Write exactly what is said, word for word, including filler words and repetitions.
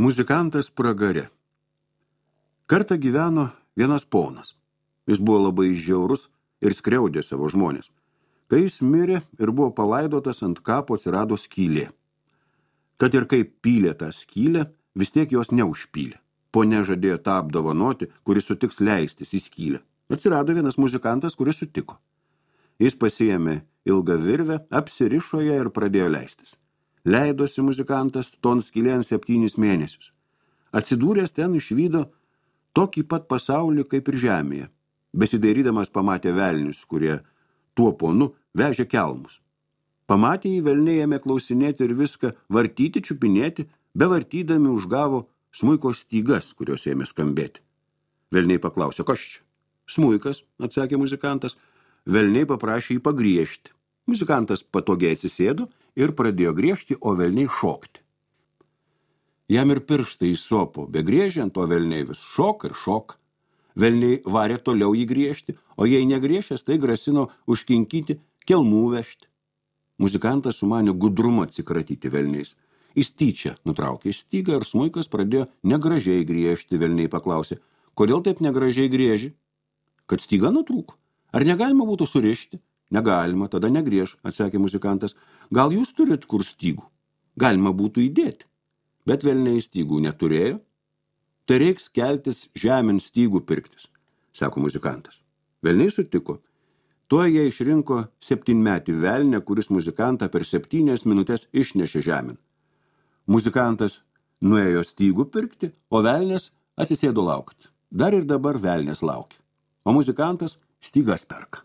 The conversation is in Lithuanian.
Muzikantas pragare. Kartą gyveno vienas ponas. Jis buvo labai žiaurus ir skriaudė savo žmonės. Kai jis mirė ir buvo palaidotas, ant kapo atsirado skylė. Kad ir kaip pylė tą skylę, vis tiek jos neužpylė. Ponia žadėjo tą apdovanoti, kuris sutiks leistis į skylę. Atsirado vienas muzikantas, kuris sutiko. Jis pasiėmė ilgą virvę, apsirišo ją ir pradėjo leistis. Leidosi muzikantas ton skylėn septynis mėnesius. Atsidūręs ten išvydo tokį pat pasaulį kaip ir žemėje. Besidairydamas pamatė velnius, kurie tuo ponu vežė kelmus. Pamatė jį, velniai ėmė klausinėti ir viską vartyti, čiupinėti, bevartydami užgavo smuiko stygas, kurios ėmė skambėti. Velniai paklausė, kas čia? Smuikas, atsakė muzikantas. Velniai paprašė jį pagriežti. Muzikantas patogiai atsisėdo ir pradėjo griežti, o velniai šokti. Jam ir pirštai įsopo, begriežiant, o velniai vis šok ir šok. Velniai varė toliau jį griežti, o jei negriešęs, tai grasino užkinkyti, kelmų vežti. Muzikantas sumanė gudrumo atsikratyti velniais. Jis tyčia nutraukė stygą ir smuikas pradėjo negražiai griežti. Velniai paklausė, kodėl taip negražiai grieži? Kad styga nutrūko. Ar negalima būtų surišti? Negalima, tada negriež, atsakė muzikantas. Gal jūs turit kur stygų? Galima būtų įdėti. Bet velniai stygų neturėjo. Tai reiks keltis žemėn stygų pirktis, sako muzikantas. Velniai sutiko. Tuo jie išrinko septynmetį velnę, kuris muzikantą per septynias minutės išnešė žemėn. Muzikantas nuėjo stygų pirkti, o velnės atsisėdo laukti. Dar ir dabar velnės laukia. O muzikantas stygas perka.